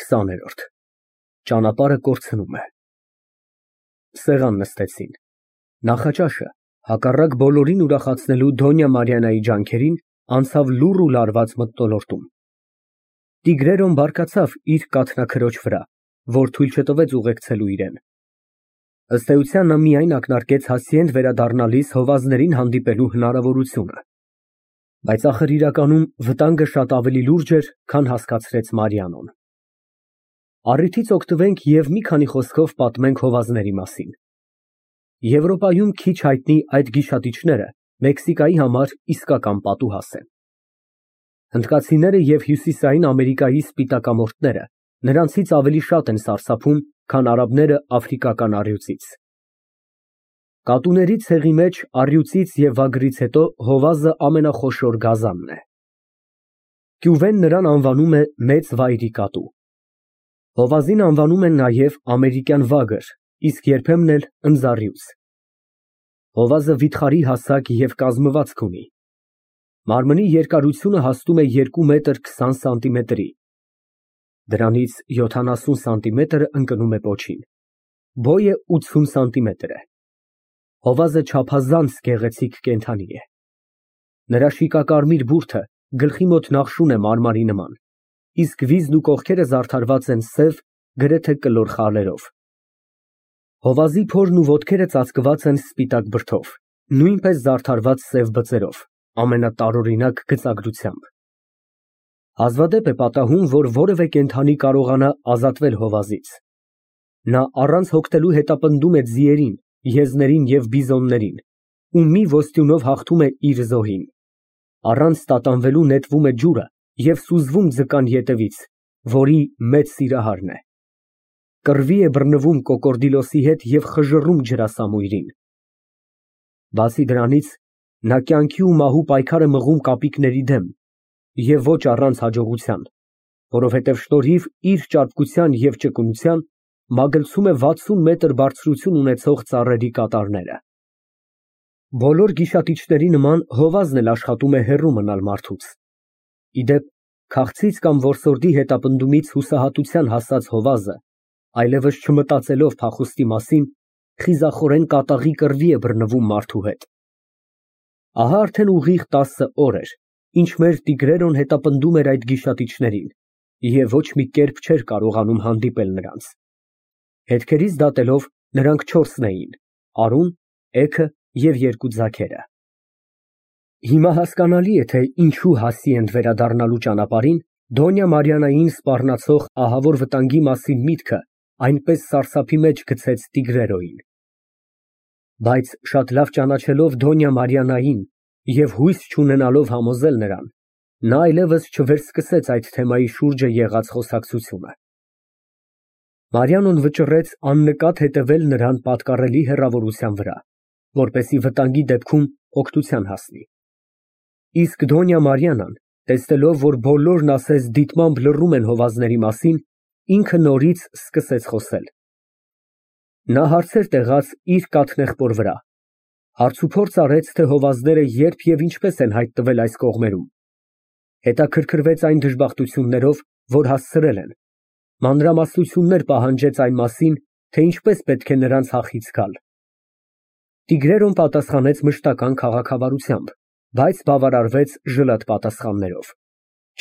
20-րդ Ճանապարհը կորցնում է։ Սեղան նստեցին։ Նախաճաշը, հակառակ բոլորին ուրախացնելու Դոնյա Մարիաննայի ջանքերին, անցավ լուռ ու լարված մթնոլորտում։ Տիգրերոն բարկացավ իր կաթնաքրոջ վրա, որ թույլ չտվեց ուղեկցելու իրան։ Ըստ էության նա միայն ակնարկեց Հասիենդ վերադառնալիս հովազներին հանդիպելու հնարավորությունը։ Բայց ախր իրականում վտանգը շատ ավելի լուրջ էր, քան հասկացրեց Մարիամն։ Առիթից օգտվենք և մի քանի խոսքով պատմենք հովազների մասին։ Եվրոպայում քիչ հայտնի այդ գիշատիչները Մեքսիկայի համար իսկական պատուհաս են։ Հնդկացիները և Հյուսիսային Ամերիկայի սպիտակամորթները նրանցից ավելի շատ են սարսափում, քան արաբները աֆրիկական առյուծից։ Կատուների ցեղի մեջ առյուծից և վագրից հետո հովազը ամենախոշոր գազանն է։ Կյուվեն նրան անվանում է մեծ վայրի կատու։ Հովազին անվանում են նաև ամերիկյան վագր, իսկ երբեմն էլ ընձառյուծ։ Հովազը վիթխարի հասակ և կազմվածք ունի։ Մարմնի երկարությունը հասնում է 2 մետր 20 սանտիմետրի։ Դրանից 70 սանտիմետրը ընկնում է պոչին։ Բոյը 80 սանտիմետր է։ Հովազը չափազանց գեղեցիկ կենդանի է։ Նրա շիկակարմիր բուրդը գլխի մոտ նախշուն է մարմարի նման, իսկ վիզն ու կողքերը զարդարված են սև, գրեթե կլոր խալերով։ Հովազի փորն ու ոտքերը ծածկված են սպիտակ բրդով, նույնպես զարդարված սև բծերով, ամենատարօրինակ գծագրությամբ։ Հազվադեպ է պատահում, որ որևէ կենդանի կարողանա ազատվել հովազից։ Նա առանց հոգնելու հետապնդում է ձիերին, եզներին և բիզոններին ու մի ոստյունով հաղթում է իր զոհին։ Առանց տատանվելու նետվում է ջուրը և սուզվում ձկան ետևից, որի մեծ սիրահարն է։ Կռվի է բռնվում կոկորդիլոսի հետ և խժռում ջրասամույրին։ Բացի դրանից, նա կյանքի ու մահու պայքար է մղում կապիկների դեմ և ոչ առանց հաջողության, որովհետև շնորհիվ իր ճարպկության և ճկունության մագլցում է 60 մետր բարձրություն ունեցող ծառերի կատարները։ Բոլոր գիշատիչների նման հովազն էլ աշխատում է հեռու մնալ մարդուց։ Ի դեպ, քաղցից կամ որսորդի հետապնդումից հուսահատության հասած հովազը, այլևս չմտածելով փախուստի մասին, խիզախորեն կատաղի կռվի է բռնվում մարդու հետ։ Ահա արդեն ուղիղ 10 օր էր, ինչ մեր տիգրերոն հետապնդում էր այդ գիշատիչներին և ոչ մի կերպ չէր կարողանում հանդիպել նրանց։ Հետքերից դատելով, նրանք 4-ն էին՝ արուն, էգը և 2 ձագերը։ Հիմա հասկանալի է, թե ինչու Հասիենդ վերադառնալու ճանապարհին Դոնյա Մարիաննային սպառնացող ահավոր վտանգի մասին միտքը այնպես սարսափի մեջ գցեց տիգրերոյին։ Բայց շատ լավ ճանաչելով Դոնյա Մարիաննային և հույս չունենալով համոզել նրան, նա այլևս չվերսկսեց այդ թեմայի շուրջը եղած խոսակցությունը։ Մարիամն վճռեց աննկատ հետևել նրան պատկառելի հեռավորության վրա, որպեսզի վտանգի դեպքում օգնության հասնի։ Իսկ Դոնյա Մարիաննան, տեսնելով, որ բոլորն ասես դիտմամբ լռում են հովազների մասին, ինքը նորից սկսեց խոսել։ Նա հարցեր տեղաց իր կաթնեղբոր վրա, հարցուփորձ արեց, թե հովազները երբ և ինչպես են հայտնվել այս կողմերում, հետաքրքրվեց այն դժբախտություններով, որ հասցրել են, մանրամասնություններ պահանջեց այն մասին, թե ինչպես պետք է նրանց հախից գալ։ Տիգրերոն պատասխանեց մշտական քաղաքավարությամբ, բայց բավարարվեց ժլատ պատասխաններով,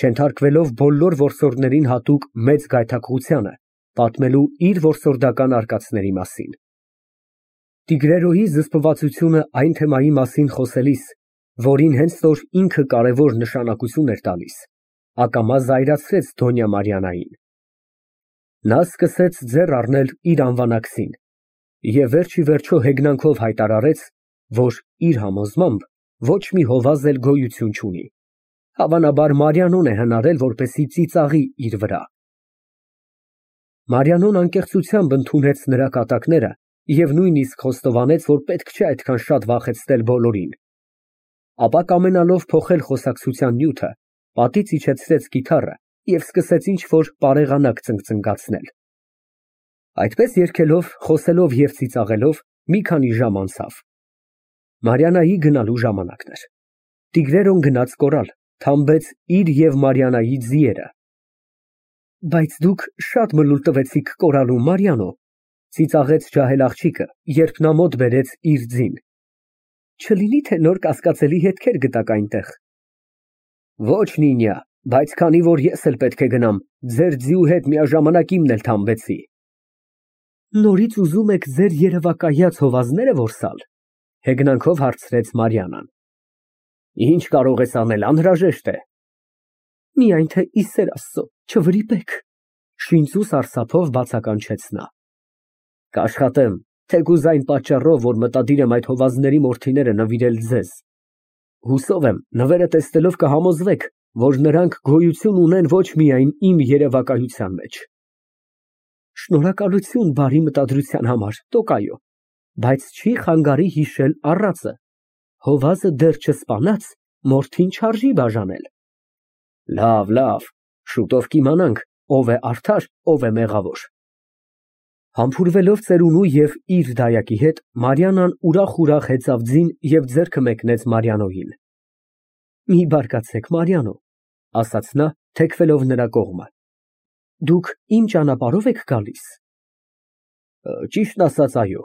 չենթարկվելով բոլոր որսորդներին հատուկ մեծ գայթակղությանը, պատմելու իր որսորդական արկածների մասին։ Տիգրերոյի զսպվածությունը այն թեմայի մասին խոսելիս, որին հենց որ ինքը կարևոր նշանակություն էր տալիս, ակամա զայրացրեց Դոնյա Մարիաննային։ Նա սկսեց ձեռ առնել իր անվանակցին և վերջիվերջո հեգնանքով հայտարարեց, որ իր համոզմամբ ոչ մի հովազ էլ գոյություն չունի, հավանաբար Մարիամն է հնարել, որպեսզի ծիծաղի իր վրա։ Մարիամն անկեղծությամբ ընդունեց նրա կատակները և նույնիսկ խոստովանեց, որ պետք չէ այդքան շատ վախեցնել բոլորին։ Ապա կամենալով փոխել խոսակցության նյութը, պատից իջեցրեց կիթառը և սկսեց ինչ֊որ պարեղանակ ծնկծնգացնել։ Այդպես երգելով, խոսելով և ծիծաղելով մի քանի ժամ անցավ։ Մարիաննայի գնալու ժամանակն էր։ Տիգրերոն գնաց կորալ, թամբեց իր և Մարիաննայի ձիերը։ Բայց դուք շատ մլուլ տվեցիք կորալու, Մարիանո, ծիծաղեց ջահել աղջիկը, երբ նա մոտ բերեց իր ձին։ Չլինի թե նոր կասկածելի հետքեր գտաք այնտեղ։ Ոչ, Նինյա, բայց քանի որ ես էլ պետք է գնամ, ձեր ձիու հետ միաժամանակ իմն էլ թամբեցի։ Նորից ուզում եք ձեր երևակայած հովազները որսալ, հեգնանքով հարցրեց Մարիանան։ Ինչ կարող ես անել, անհրաժեշտ է։ Միայն թե ի սեր Աստծո, չվրիպեք, շինծու սարսափով բացականչեց նա։ Կաշխատեմ, թեկուզ այն պատճառով, որ մտադիր եմ այդ հովազների մորթիները նվիրել ձեզ։ Հուսով եմ, նվերը տեսնելով կհամոզվեք, որ նրանք գոյություն ունեն ոչ միայն իմ երևակայության մեջ։ Շնորհակալություն բարի մտադրության համար, Տոկայո, բայց չի խանգարի հիշել առածը։ Հովազը դեռ չսպանած, մորթին չարժի բաժանել։ Լավ, լավ, շուտով կիմանանք, ով է արդար, ով է մեղավոր։ Համբուրվելով ծերունու և իր դայակի հետ, Մարիանան ուրախ հեծավ ձին և ձեռքը մեկնեց Մարիանոյին։ Մի բարկացեք, Մարիանո, ասաց նա, թեքվելով նրա կողմը։ Դուք իմ ճանապարհով եք գալիս։ Ճիշտն ասած, այո։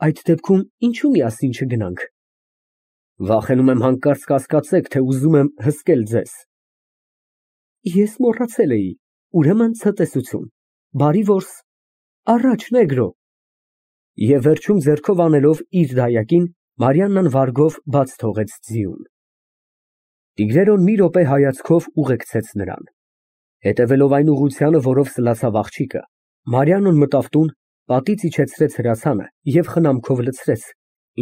Այդ դեպքում ինչու միասին չգնանք։ Վախենում եմ հանկարծ կասկածեք, թե ուզում եմ հսկել ձեզ։ Ես մոռացել էի, ուրեմն ցտեսություն, բարի որս, առաջ նեգրո։ Եվ վերջում ձեռքով անելով իր դայակին, Մարիաննան վարգով բաց թողեց ձիուն։ Տիգրերոն մի րոպե հայացքով ուղեկցեց նրան։ Հետևելով այն ուղղությանը, որով սլացավ աղջիկը, Մարիանոն մտավ տուն, պատից իջեցրեց հրացանը և խնամքով լցրեց,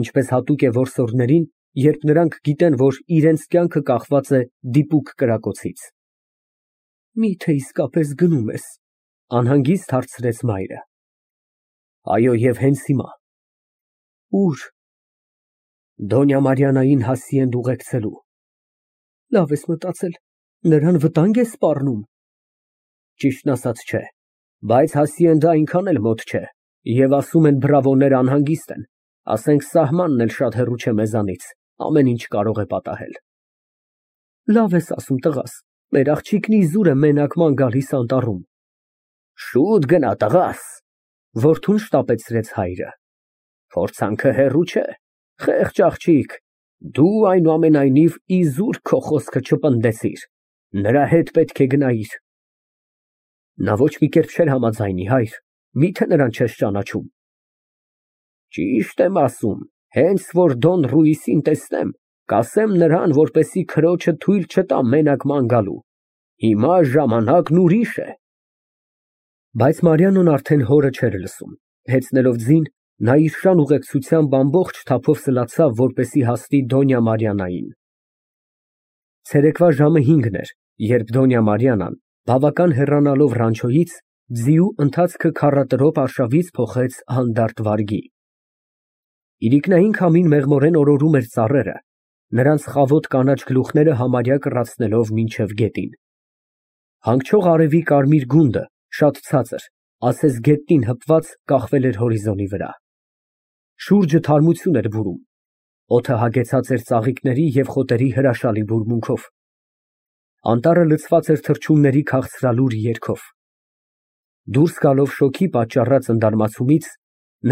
ինչպես հատուկ է որսորդներին, երբ նրանք գիտեն, որ իրենց կյանքը կախված է դիպուկ կրակոցից։ Միթե իսկապես գնում ես, անհանգիստ հարցրեց մայրը։ Այո, և հենց հիմա։ Ուր։ Դոնյա Մարիանային Հասիենդ ուղեկցելու։ Լավ ես մտածել, նրան վտանգ ես սպառնում։ Ճիշտն ասած չէ, բայց Հասիենդը այնքան էլ մոտ չէ, և ասում են բրավոները անհանգիստ են, ասենք սահմանն էլ շատ հեռու չէ մեզանից, ամեն ինչ կարող է պատահել։ Լավ ես ասում, տղաս, մեր աղջիկն իզուր է մենակման գալիս անտառում։ Շուտ գնա, տղաս, որդուն շտապեցրեց հայրը։ Փորձանքը հեռու չէ, խեղճ աղջիկ, դու այնուամենայնիվ իզուր քո խոսքը չպնդեցիր, նրա հետ պետք է գնայիր։ Նա ոչ մի կերպ չէր համաձայնի, հայր, միթե նրան չես ճանաչում։ Ճիշտ եմ ասում, հենց որ Դոն Ռուիսին տեսնեմ, կասեմ նրան, որպեսզի քրոջը թույլ չտա մենակման գալու։ Հիմա ժամանակն ուրիշ է։ Բայց Մարիանոն արդեն հորը չէր լսում, հեծնելով ձին, նա իր շան ուղեկցությամբ ամբողջ թափով սլացավ, որպեսզի հասնի Դոնյա Մարիանային։ Ցերեկվա ժամը 5-ն էր, երբ Դոնյա Մարիանան, բավական հեռանալով ռանչոյից, ձիու ընթացքը քառատրոպ արշավից փոխեց հանդարտ վարգի։ Իրիկնային քամին մեղմորեն օրորում էր ծառերը, նրանց խավոտ կանաչ գլուխները համարյա կռացնելով մինչև գետին։ Հանգչող արևի կարմիր գունդը, շատ ցածր, ասես գետնին հպված, կախվել էր հորիզոնի վրա։ Շուրջը թարմություն էր բուրում, օդը հագեցած էր ծաղիկների և խոտերի հրաշալի բուրմունքով։ Անտառը լցված էր թռչունների քաղցրալուր երգով։ Դուրս գալով շոգի պատճառած ընդարմացումից,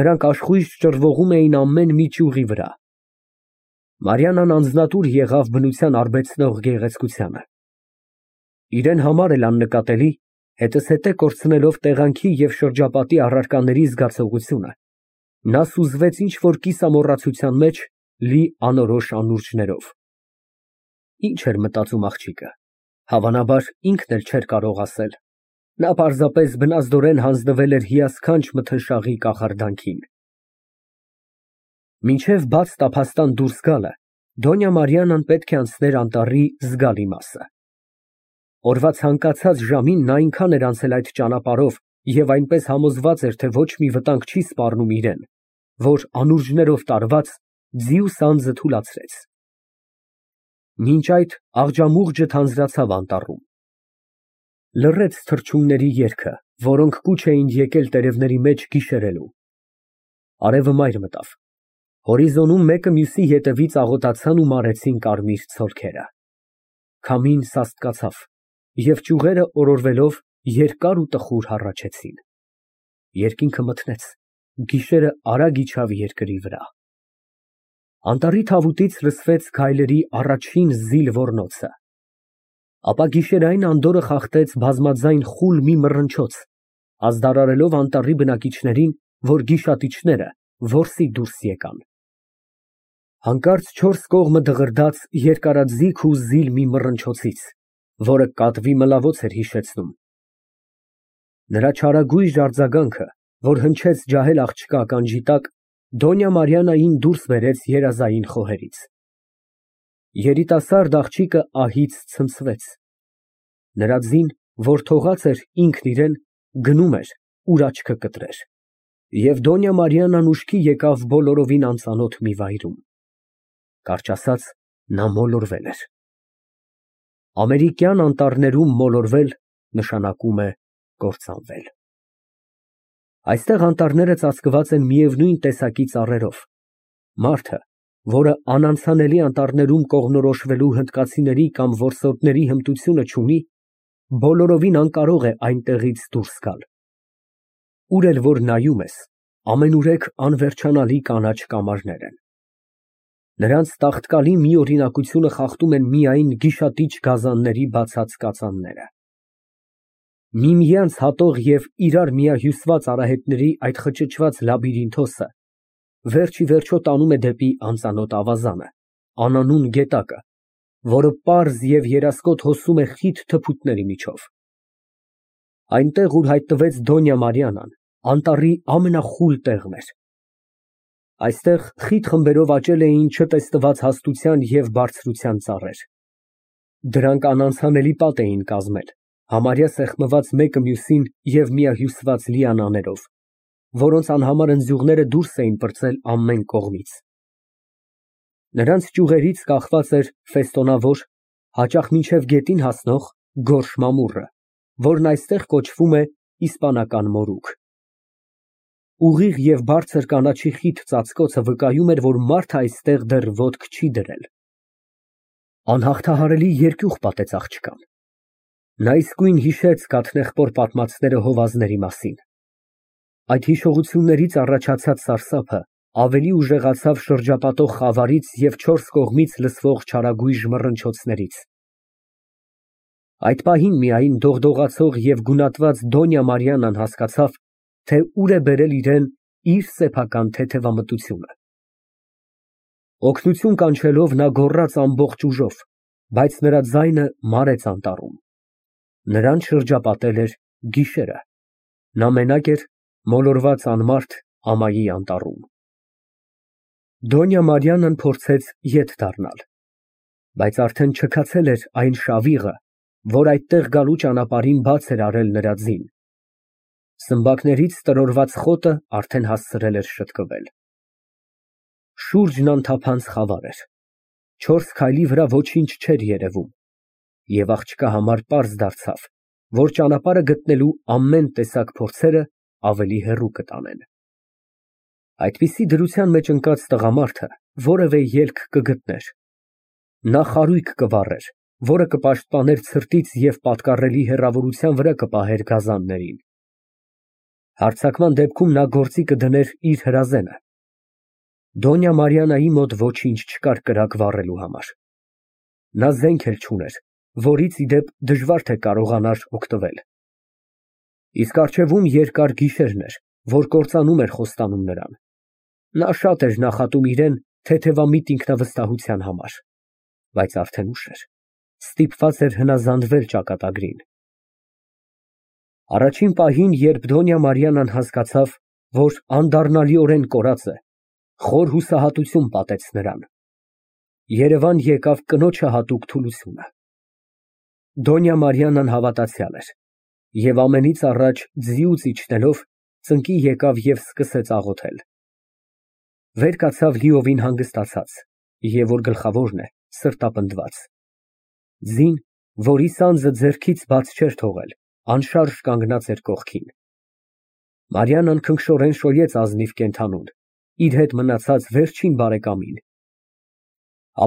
նրանք աշխույժ ճռվողում էին ամեն մի ճյուղի վրա։ Մարիանան անձնատուր եղավ բնության արբեցնող գեղեցկությանը։ Իրեն համար էլ աննկատելի, հետզհետե կորցնելով տեղանքի և շրջապատի առարկաների զգացողությունը, նա սուզվեց ինչ֊որ կիսամոռացության մեջ, լի անորոշ անուրջներով։ Ինչ էր մտածում աղջիկը, հավանաբար ինքն էլ չէր կարող ասել։ Նա պարզապես բնազդորեն հանձնվել էր հիասքանչ մթնշաղի կախարդանքին։ Մինչև բաց տափաստան դուրս գալը, Դոնյա Մարիանան պետք է անցներ անտառի զգալի մասը։ Օրվա ցանկացած ժամին նա այնքան էր անցել այդ ճանապարհով և այնպես համոզված էր, թե ոչ մի վտանգ չի սպառնում իրեն, որ անուրջներով տարված, ձիու սանձը թուլացրեց։ Մինչ այդ աղջամուղջը թանձրացավ անտառում։ Լռեց թռչունների երգը, որոնք կուչ էին եկել տերևների մեջ գիշերելու։ Արևը մայր մտավ։ Հորիզոնում մեկը մյուսի ետևից աղոտացան ու մարեցին կարմիր ցոլքերը։ Քամին սաստկացավ, և ճյուղերը օրորվելով երկար ու տխուր հառաչեցին։ Երկինքը մթնեց, գիշերը արագ իջավ երկրի վրա։ Անտառի թավուտից լսվեց գայլերի առաջին զիլ ոռնոցը։ Ապա գիշերային անդորրը խախտեց բազմաձայն խուլ մի մռնչոց, ազդարարելով անտառի բնակիչներին, որ գիշատիչները որսի դուրս եկան։ Հանկարծ չորս կողմը դղրդաց երկարաձիգ ու զիլ մի մռնչոցից, որը կատվի մլավոց էր հիշեցնում։ Նրա չարագույժ արձագանքը, որ հնչեց ջահել աղջկա ականջի տակ, Դոնյա Մարիաննային դուրս բերեց երազային խոհերից։ Երիտասարդ աղջիկը ահից ցնցվեց։ Նրա ձին, որ թողած էր ինքն իրեն, գնում էր, ուր աչքը կտրեր։ Եվ Դոնյա Մարիաննան ուշքի եկավ բոլորովին անծանոթ մի վայրում։ Կարճ ասած, նա մոլորվել էր։ Ամերիկյան անտառներում մոլորվել նշանակում է կործանվել։ Այստեղ անտառները ծածկված են միևնույն տեսակի ծառերով։ Մարդը, որը անանցանելի անտառներում կողմնորոշվելու հնդկացիների կամ որսորդների հմտությունը չունի, բոլորովին անկարող է այնտեղից դուրս գալ։ Ուր էլ որ նայում ես, ամենուրեք անվերջանալի կանաչ կամարներ են։ Նրանց տաղտկալի մի օրինակությունը խախտում են միայն գիշատիչ գազանների բացած կածանները։ Միմյանց հատող և իրար միահյուսված արահետների այդ խճճված լաբիրինթոսը վերջ ի վերջո տանում է դեպի անծանոթ ավազանը, անանուն գետակը, որը պարզ և երասկոտ հոսում է խիտ թփուտների միջով։ Այնտեղ, ուր հայտնվեց Դոնյա Մարիաննան, անտառի ամենախուլ տեղն էր։ Այստեղ խիտ խմբերով աճել էին չտեսնված հաստության և բարձրության ծառեր։ Դրանք անանցանելի պատ էին կազմել, համարյա սեղմված մեկը մյուսին և միահյուսված լիանաներով, որոնց անհամար ընձյուղները դուրս էին պրծել ամեն կողմից։ Նրանց ճյուղերից կախված էր ֆեստոնավոր, հաճախ մինչև գետին հասնող գորշ մամուռը, որն այստեղ կոչվում է իսպանական մորուք։ Ուղիղ և բարձր կանաչի խիտ ծածկոցը վկայում էր, որ մարդը այստեղ դեռ ոտք չի դրել։ Անհաղթահարելի երկյուղ պատեց աղջկան։ Նա իսկույն հիշեց գաթնեղբոր պատմածները հովազների մասին։ Այդ հիշողություններից առաջացած սարսափը ավելի ուժեղացավ շրջապատող խավարից և չորս կողմից լսվող չարագույժ մռնչոցներից։ Այդ պահին միայն դողդողացող և գունատված Դոնյա Մարիաննան հասկացավ, թե ուր է բերել իրան իր սեփական թեթևամտությունը։ Օգնություն կանչելով նա գոռաց ամբողջ ուժով, բայց նրա ձայնը մարեց անտառում։ Նրան շրջապատել էր գիշերը։ Նա մենակ էր, մոլորված անմարդ ամայի անտառում։ Դոնյա Մարիաննան փորձեց ետ դառնալ, բայց արդեն չքացել էր այն շավիղը, որ այդտեղ գալու ճանապարհին բաց էր արել նրա ձին։ Սմբակներից տրորված խոտը արդեն հասցրել էր շտկվել։ Շուրջն անթափանց խավար էր։ Չորս քայլի վրա ոչինչ չէր երևում, և աղջկա համար պարզ դարձավ, որ ճանապարհը գտնելու ամեն տեսակ փորձերը ավելի հեռու կտանեն։ Այդպիսի դրության մեջ ընկած տղամարդը որևէ ելք կգտներ։ Նա խարույկ կվառեր, որը կպաշտպաներ ցրտից և պատկառելի հեռավորության վրա կպահեր գազաններին։ Հարձակման դեպքում նա գործի կդներ իր հրազենը։ Դոնյա Մարիաննայի մոտ ոչինչ չկար կրակ վառելու համար։ Նա զենք էլ չուներ, որից ի դեպ դժվար թե կարողանար օգտվել։ Իսկ առջևում երկար գիշերն էր, որ կործանում էր խոստանում նրան։ Նա շատ էր նախատում իրան թեթևամիտ ինքնավստահության համար, բայց արդեն ուշ էր, ստիպված էր հնազանդվել ճակատագրին։ Առաջին պահին, երբ Դոնյա Մարիաննան հասկացավ, որ անդառնալիորեն կորած է, խոր հուսահատություն պատեց նրան։ Երևան եկավ կնոջը հատուկ թուլությունը։ Դոնյա Մարիաննան հավատացյալ էր, և ամենից առաջ ձիուց իջնելով, ծնկի եկավ և սկսեց աղոթել։ Վեր կացավ լիովին հանգստացած, և որ գլխավորն է, սրտապնդված։ Ձին, որի սանձը ձեռքից բաց չէր թողել, անշարժ կանգնած էր կողքին։ Մարիաննան քնքշորեն շոյեց ազնիվ կենդանուն, իր հետ մնացած վերջին բարեկամին։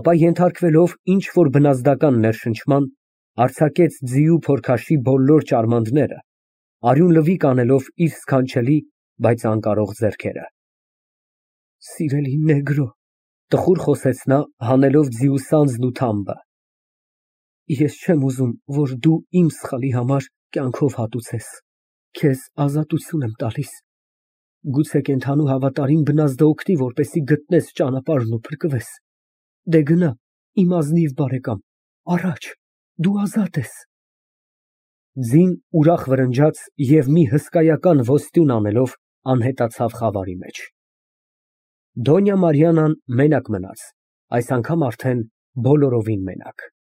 Ապա ենթարկվելով ինչ֊որ բնազդական ներշնչման, Արձակեց ձիու փորքաշի բոլոր ճարմանները, արյուն լվիկ անելով իր սքանչելի, բայց անկարող ձեռքերը։ Սիրելի նեգրո, տխուր խոսեց նա, հանելով ձիու սանձն ու թամբը, ես չեմ ուզում, որ դու իմ սխալի համար կյանքով հատուցես, քեզ ազատություն եմ տալիս, գուցե կենդանու հավատարիմ բնազդը օգնի, որպեսզի գտնես ճանապարհն ու փրկվես, դե գնա, իմ ազնիվ բարեկամ, առաջ, դու ազատ ես։ Ձին ուրախ վրնջաց և մի հսկայական ոստյուն անելով անհետացավ խավարի մեջ։ Դոնյա Մարիանան մենակ մնաց, այս անգամ արդեն բոլորովին մենակ։